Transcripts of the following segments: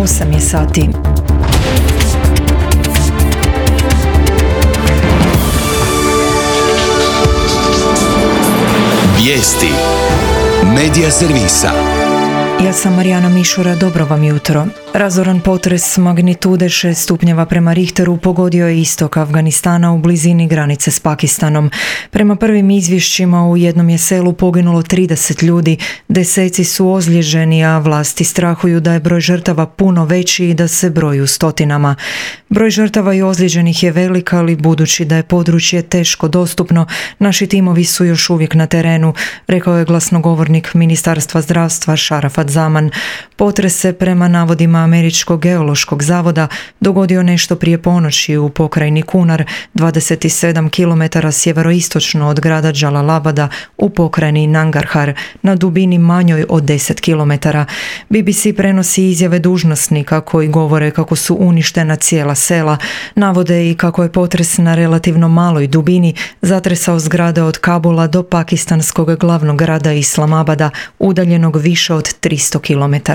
8 je sati. Vijesti Medija servisa. Ja sam Marijana Mišura, dobro vam jutro. Razoran potres magnitude 6 stupnjeva prema Richteru pogodio je istok Afganistana u blizini granice s Pakistanom. Prema prvim izvješćima u jednom je selu poginulo 30 ljudi, deseci su ozlijeđeni, a vlasti strahuju da je broj žrtava puno veći i da se broji u stotinama. Broj žrtava i ozlijeđenih je velik, ali budući da je područje teško dostupno, naši timovi su još uvijek na terenu, rekao je glasnogovornik Ministarstva zdravstva Šarafat Zaman. Potres se prema navodima Američkog geološkog zavoda dogodio nešto prije ponoći u pokrajini Kunar, 27 km sjeveroistočno od grada Džalalabada u pokrajini Nangarhar, na dubini manjoj od 10 km. BBC prenosi izjave dužnosnika koji govore kako su uništena cijela sela, navode i kako je potres na relativno maloj dubini zatresao zgrade od Kabula do pakistanskog glavnog grada Islamabada, udaljenog više od 300 km.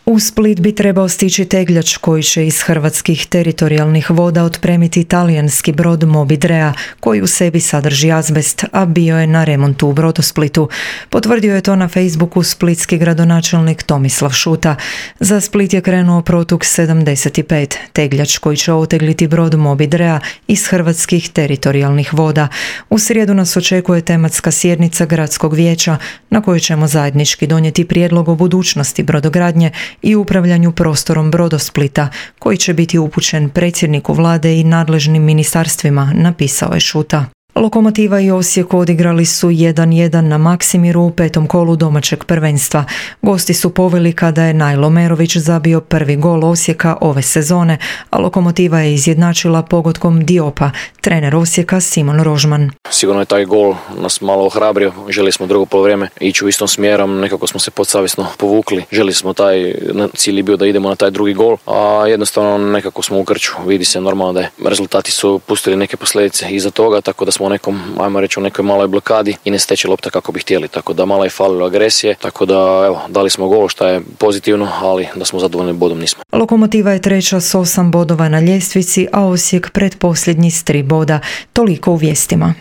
U Split bi trebao stići tegljač koji će iz hrvatskih teritorijalnih voda otpremiti talijanski brod Moby Drea, koji u sebi sadrži azbest, a bio je na remontu u Brodosplitu. Potvrdio je to na Facebooku splitski gradonačelnik Tomislav Šuta. Za Split je krenuo Protuk 75, tegljač koji će otegliti brod Moby Drea iz hrvatskih teritorijalnih voda. U srijedu nas očekuje tematska sjednica gradskog vijeća na kojoj ćemo zajednički donijeti prijedlog o budućnosti brodogradnje i upravljanju prostorom Brodosplita, koji će biti upućen predsjedniku vlade i nadležnim ministarstvima, napisao je Šuta. Lokomotiva i Osijek odigrali su 1-1 na Maksimiru u 5. kolu domaćeg prvenstva. Gosti su poveli kada je Najlo Merović zabio prvi gol Osijeka ove sezone, a Lokomotiva je izjednačila pogodkom Diopa, trener Osijeka Simon Rožman. Sigurno je taj gol nas malo ohrabrio, željeli smo drugo poluvreme ići u istom smjerom, nekako smo se podsavjesno povukli, željeli smo cilj bio da idemo na taj drugi gol, a jednostavno nekako smo u krču, vidi se normalno da je rezultati su pustili neke posljedice iza toga, tako da smo u nekoj maloj blokadi i ne steći lopta kako bi htjeli, tako da malo je falilo agresije, tako da dali smo gol što je pozitivno, ali da smo zadovoljni bodom nismo. Lokomotiva je treća s 8 bodova na ljestvici, a Osijek pretposljednji s 3 boda. Toliko u vijestima.